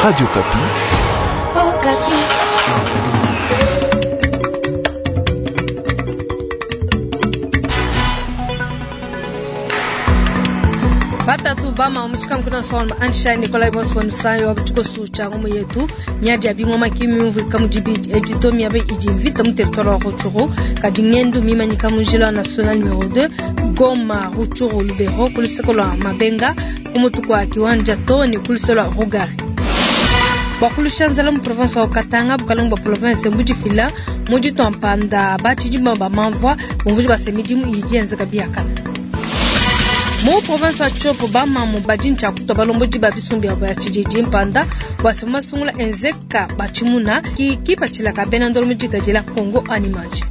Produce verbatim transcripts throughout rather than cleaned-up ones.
Radio Okapi. Oh, Batatu bama muchikankuna soma ansha Nikolai Boswan sayo wa cha ngumu yetu nyaji abingoma kimyumvu kamujibiti edito miabe idi mvita mu territoire wa Rutshuru kadi ngendu mimanyika mu njila national numero deux Goma Rutshuru Lubero kuluseko lwa Mabenga kumutu kwa kiwanja toni kuluseko lwa Rugari bakulusha nzala mu province wa Katanga bukalongo bwa province mbujifila muji twampanda bachidimba ba mamvwa bumvuji basemidimu idi yenzeka biakana mu province wa Tshopo bamamu badi ntshia balombodi ba bisumbu bya tshididi mpanda bwasema masungula enzeka batshimuna ki kipatshila ka bena ndolo mu diga Congo animage.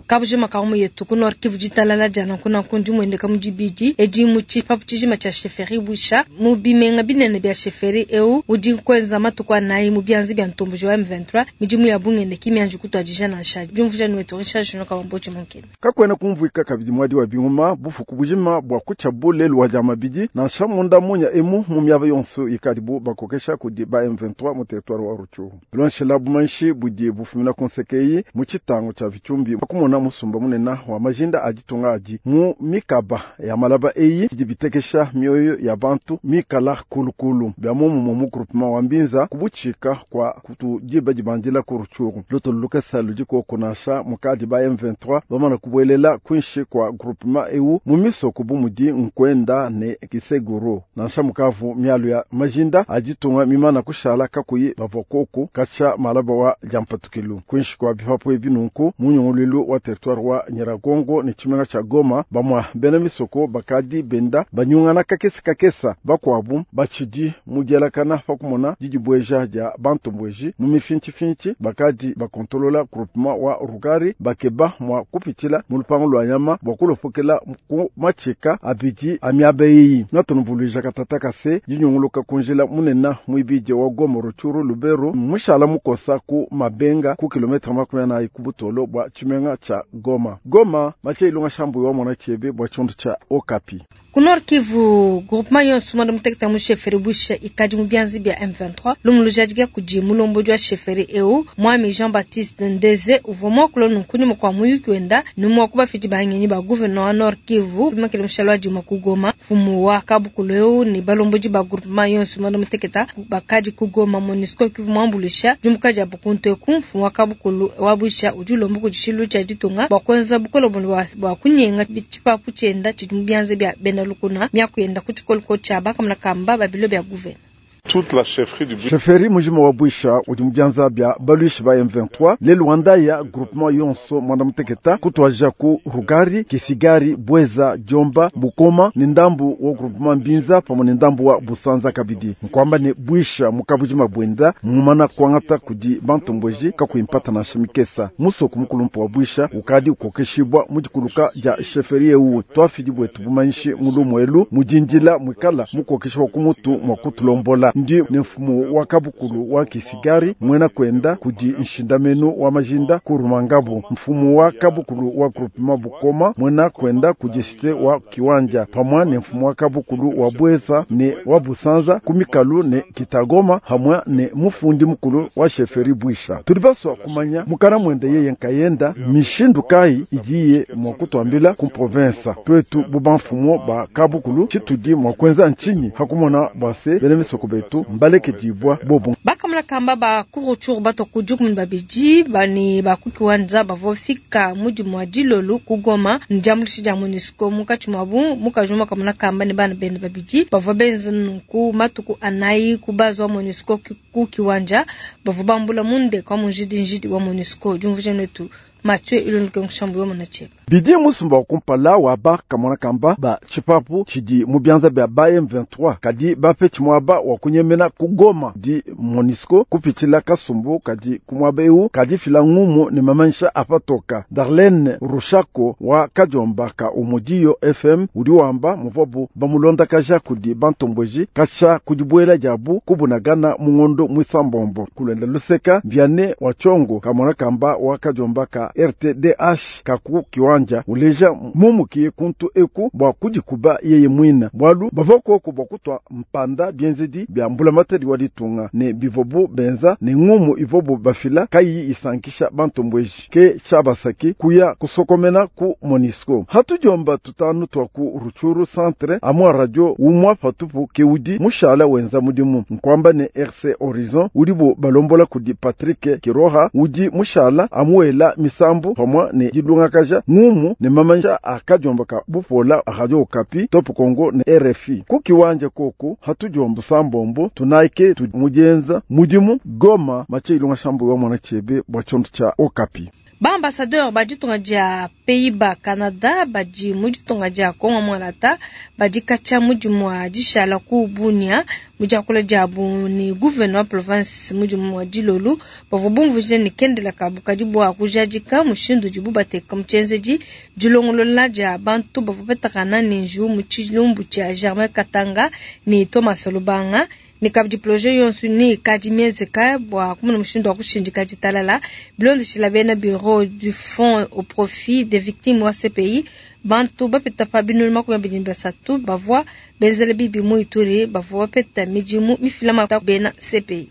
Kabujima kamu yetu ku Nord Kivu ditalala dia nanku nanku ndi muendeka mu dibidi edi mu tshipapu tshijima tshia chefferie Bwisha mu bimenga binene bia chefferie eu udi nkuenza matuku anayi mu bianzi bia ntomboji wa M vingt-trois midimu ya bungende kimianji kutuadija nansha diumvuija ni wetu Richard Junior Kawamboji Munkene. Kakwena kumvuika kabidi mwadi wa binguma bufuku bujima bwa kucha bule lwa dia mabidi nansha munda munya emu mu miaba yonso ikadibu bakokesha kudi ba M vingt-trois mu territoire wa Rutshuru. Lonshela bumanshi budi bufumina konsekei mu tshitango tshia Vitshumbi bakumona musumba munena wa majinda aditunga adi mu mikaba ya malaba eyi idi bitekesha mioyo ya bantu mikala kulukulu bya mumu mu groupement wa Mbinza kubuchika kwa kutujiba dibandila ku Rutshuru. Luto lukasa ludiko kunasha mukadi ba M vingt-trois bamana kubwelela kwinshi kwa groupement eu mu misoko bumudi nkwenda ne kiseguro nansha mukavu mialu ya majinda aditunga mimana kushala kakuyi bavokoko kacha malaba wa jampatukilu kwinshi kwa bipapo ebinunku munyongolelu wa territoire wa Nyiragongo ni chimenga cha Goma bamwa bena misoko bakadi benda banyungana kakesa kakesa bakwabu bachidi mujelakana pakumona didibweja dia bantu mbweji mu mifinchi finchi bakadi bakontolola groupement wa Rugari bakeba mwa kupitila mu lupango lwa nyama bwa kulopokela ku machika abidi amiabeyi natunuvuluija katata kase dinyunguluka kunjila munena mwibidi wa Goma Rutshuru Lubero mushala mukosa ku mabenga ku kilometre makumi anayi ku butolo bwa chimenga cha Goma. Goma mache ilunga shambu wa mwana chebe bwa chondu cha Okapi. Ku Nord Kivu groupement yonso mwanda muteketa mu chefferie Bwisha ikadi mu bianzi bya M vingt-trois lumuluja kudi mulombodi wa chefferie eu mwami Jean-Baptiste Ndeze uvua muakula nunku nyuma kua muyuki wenda ni mua kubafidi bangenyi ba gouverneur wa Nord Kivu makele mushalo wa dima ku Goma mfumu wa kabukulu eu ni balombodi ba groupement yonso mwanda muteketa bakadi ku Goma MONUSCO Kivu muambulisha dimuka dia bukuntu eku mfumu wa kabukulu wa Bwisha udi ulomba kudi tshilu tshia ditunga bua kuenza bukole bua kunyenga tshipapu tshienda tshidi mu bianza bia bena lukuna miakuyenda ku tshikoliko tshia bakamuna kamba babilo bia gouverneur. Toute la chefferie du Bwisha. Chefferie mujima wa Bwisha udi mu bianza bia baluishi ba M vingt-trois le Rwanda ya groupement yonso mwanda muteketa kutwaja ku Rugari Kisigari Bweza Jomba Bukoma ni ndambu wa groupement Mbinza pamwe ni ndambu wa Busanza kabidi nkwamba ni Bwisha mukabujima bwenda mumana kwangata kudi bantu mbweji kakuimpata na shimikesa musoko mukulumpa wa Bwisha ukadi ukokeshibwa mujikuluka ja chefferie eu twafidi bwetu bumanyishi mulumwelu mujinjila mwikala mukokeshibwa kumutu mwa kutulombola ndi ni mfumu wa kabukulu wa Kisigari mwena kwenda kudi nshindamenu wa majinda kurumangabu mfumu wa kabukulu wa groupement Bukoma mwena kwenda kudi site wa Kiwanja pamwa ni mfumu wa kabukulu wa Bweza ni wa Busanza kumikalu ni Kitagoma hamwe ni mufundi mukulu wa chefferie Bwisha tulibaswa kumanya mukana mwende yeye nkayenda mishindu kai igiye mwa kutwambila ku province twetu buba mfumu ba kabukulu chitudi mwa kwenza nchinyi hakumona bwase bene misoko betu mbaleke dibwa bobo bakamula kamba ba kuruchuru bato kujuku babidi bani bakukiwanza bavofika mudi mwa dilolu kugoma njambulishi dia MONUSCO mukachi mwabu mukajuma kamuna kamba ni bana bende babidi bavua benza nunku matuku anayi kubaza wa MONUSCO ku kiwanja bavua bambula munde kwa munjidi njidi wa MONUSCO diumvuja netu Mathieu Ilonike Nshambu wa Munacheba. Bidi musumba kumpala wa ba kamona kamba ba chipapu chidi mu bianza bya ba M vingt-trois kadi ba pe chimwaba wa kunyemena kugoma di MONUSCO kupitila kasumbu kadi kumwaba eu kadi fila ngumu ni mamansha apatoka Darlene Rushako wa Kajomba ka Umudiyo F M udi wamba muvabu bamulonda kaja kudi bantombweji kasha kudibwela jabu kubunagana mungondo mwisambombo kulenda luseka mbyane wa chongo kamona kamba wa Kajomba ka R T D H kaku kiwanja uleja mumukiye kuntu eku bua kudikuba yeye mwina bwalu bava koko bua kutwa mpanda bienzedi bya mbulamatadi wa ditunga ne bivobu benza ne ngumu ivobu bafila kayi isankisha bantombweji ke chabasaki kuya kusokomena ku MONUSCO. Hatujomba tutanu twa ku Rutshuru centre amwa radio umwa patupu keudi mushala wenza mudimu nkwamba ne R C Horizon udibo balombola kudi Patrick Kiroha udi mushala amuela misambu pamwa ne dilungakaja ngumu ne mamanja akajomba bupola Radio Okapi, Top Congo ne R F I kukiwanja koko hatujomba sambombo tunaike tumujenza mudimu Goma mache ilunga shambu wa mwana chebe bwa chonto cha Okapi. Baambassadeur baditunga dia Pays-Bas, Canada badi muditunga dia Kongo Mwalata badi katshia mudimu wa dishala ku Bunia mudiakula diabu ni gouverneur wa province mudimu wa dilolu bavua bumvuije ne kendela kabu kadi bua kujadika mushindu udibu bateka mu tshienzedi dilongolola dia bantu bavua batakana ne njiwu mu tshilumbu tshia Germain Katanga ne Thomas Lubanga ne kabidi projet yonso ni kadi mienzeka bua kumona mushindu wa kushindika ditalala bilondeshila bena bureau du fonds au profit des victimes wa C P I bantu bapeta pa binunu makumi abidi ne basatu bavua benzela bibi mu Ituri bavua bapeta midimu mifila mata bena C P I.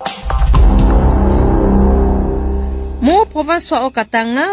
Mu province wa Haut-Katanga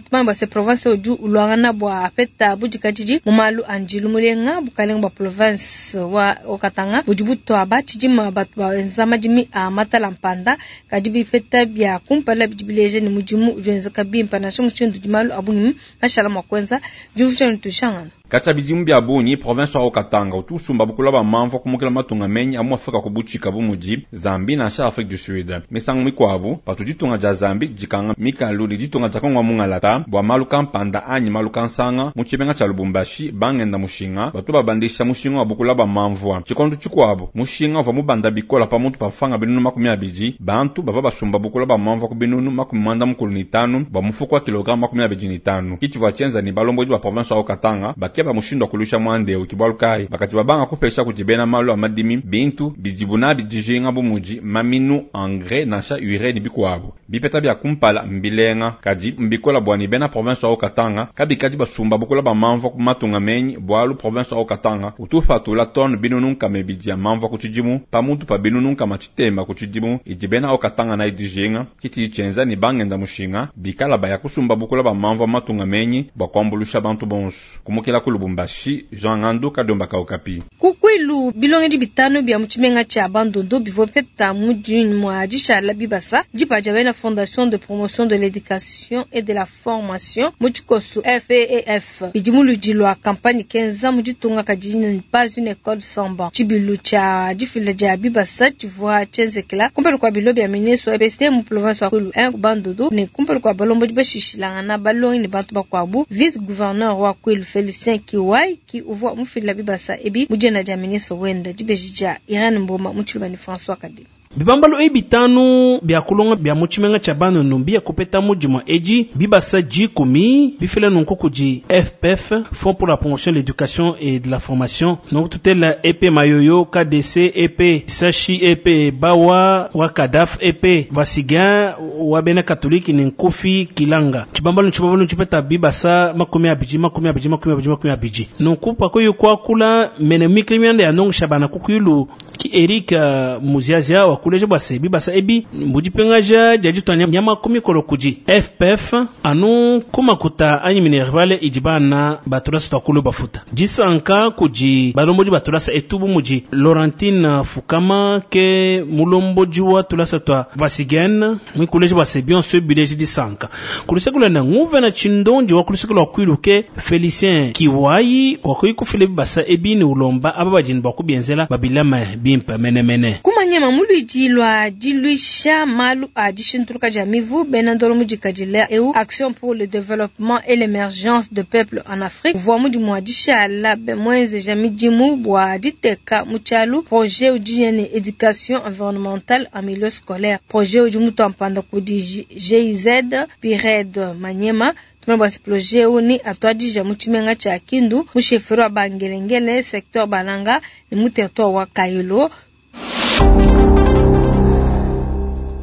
tumamba se province udi ulwangana bua apeta budikadidi mu malu a ndilu mulenga bukalenga bua province wa Haut-Katanga budi butwa batshidima batu benza madimi a matala mpanda kadi bipeta bia kumpala bidi bileja ne mudimu udi wenzeka bimpe nansha mushindu udi malu a bungi mashala mua kuenza diumvuija ne tushangana. Katshia bidimu bia bungi province wa Haut-Katanga utu usumba bukula ba mamvua kumukila matunga menyi amu Afrika kubutshika bu mudi Zambie nansha Afrique du Sud. Misangu mikuabu patu ditunga dia Zambie dikanga mikalu ne ditunga dia Kongo mungalata bua malu kampanda anyi malu kansanga mu tshimenga tshia Lubumbashi bangenda mushinga batu babandisha mushinga wa bukula ba mamvua. Tshikondo tshikuabu mushinga uvua mubanda bikola pamutu pa mfranga binunu makumi abidi bantu bavua basumba bukula ba mamvua ku binunu makumi mwanda mukulu ne tanu bua mufuko wa kilogramme makumi abidi ne tanu. Kitshivua tshienza ne balombodi ba province wa Haut-Katanga bakeba mushindu wa kulusha mwanda eu kibwalu kai bakati babanga kupesha kuti bena malu a madimi bintu bidibu nabi dijinga bu mudi maminu, engrais nansha urée ne bikuabu. Bipeta bia kumpala mbilenga kadi mbikola bua ne bena province wa Haut-Katanga kabikadi basumba bukula ba mamvua ku matunga menyi bualu province wa Haut-Katanga utu upatula tonne binunu nkama ibidi ya mamvua ku tshidimu pamutu pa binunu nkama tshitema ku tshidimu idi bena Haut-Katanga nayi dijinga. Kitshidi tshienza ne bangenda mushinga bikala baya kusumba bukula ba mamvua matunga menyi bua kuambulusha bantu bonso. Kumukila ku Lubumbashi, Jean Ngandu Kadomba ka Okapi. Kukwilu bilongedi bitano bia mu tshimenga tshia Bandundu bivua bipeta mudimu wa dishala bibasa dipa dia bena Fondation de promotion de l'éducation et de la formation mu tshikosu F E E F bidi mu ludi lua campagne kenza mu ditunga kadi pas une école sans banc. Tshibilu tshia difila dia bibasa tshivua tshienzekela kumpala kua bilo bia ministre wa E P S T mu province wa Kwilu un Bandundu ne kumpala kua balombodi bashishilangana balongi ne bantu bakuabu. Vice gouverneur wa Kwilu Félicien Kiwai ki uvua mufila bibasa ebi mu diena dia ministre wenda dibeji dia Irene Mboma mu tshiluba ne François Kadima. Bibambalu ebi bitanu bia kulonga bia mu tshimenga tshia Bandundu bia kupeta mudimu edi bibasa dikumi bifila nunku kudi F P F, Fonds pour la promotion de l'éducation et de la formation, nunku tutela E P Mayoyo K D C, E P Sashi, E P Bawa wa Kadaf, E P Vasigan wa bena katoliki ne Nkofi Kilanga. Tshibambalu tshibambalu tshipeta bibasa makumi abidi makumi abidi makumi abidi makumi abidi. Nunku pakoyo kuakula mene mikili mianda ya ndongesha bana kukwilu ki Eric uh, Muziazia wakuleja bua se bibasa ebi mbudipengaja dia ditua nyama ku mikolo kudi F P F anu kumakuta anyi minerval idi bana batulasa twakulu bafuta disanka kudi balombodi batulasa etubu mudi Laurentine Fukama ke mulombodi wa tulasa twa Vasigen mwikuleja bua se bionso bileji disanka kulusekula na nguve na tshindondi wa kulusekula kwilu ke Felicien Kiwai wakuyi kufila bibasa ebi ni ulomba aba badini bua kubienzela babilama bimpe menemene. Kumanyema muludi lwa diluisha malu a dishintuluka dia mivu bena ndolo mudikadila eu Action pour le développement et l'émergence de peuple en Afrique uvua mudimu wa dishala mwenzeja midimu bua diteka mu tshialu projet udi ne éducation environnementale en milieu scolaire, projet udi mutu kudi G I Z Pired Manyema. Tumene bua projet eu ni atuadija mu tshimenga tshia Kindu mu chefferie wa Bangelengele, secteur Balanga ne mu territoire wa Kayolo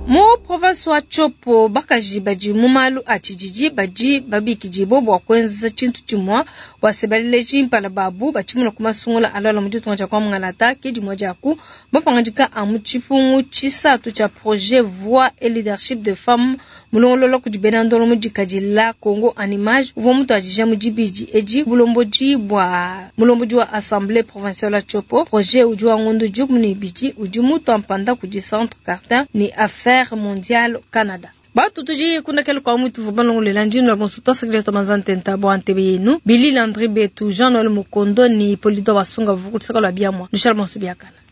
mu province. Province wa Tshopo bakaji badi mu malu a tshididi badi babikidibua bua kuenza tshintu tshimue bua se baleleji mpala babu batshimuna ku masungula alualua mu ditunga dia Kwa-Mungalata ke dimue dia ku mapangadika a mu tshipungu tshisatu tshia projet voix et leadership de femmes mulongolola kudi bena ndolo mu dikadila Congo en image uvua mutuadija mu dibidi edi bulombodi bua mulombodi wa assemblée provinciale ya Tshopo. Projet udi wa ngondo dikumi ne ibidi udi mutua mpanda kudi Centre Cartin ne Affaires mondiales Canada. Batu tudi kundakela kwa mutu vubalongolela ndino la bonso twasakile tomanza ntenta bwa ntebe yenu Billy Landry Betu Jean Noël Mukondo ni Polito Basunga vukutisaka lwa biamwa nushal bonso biakana.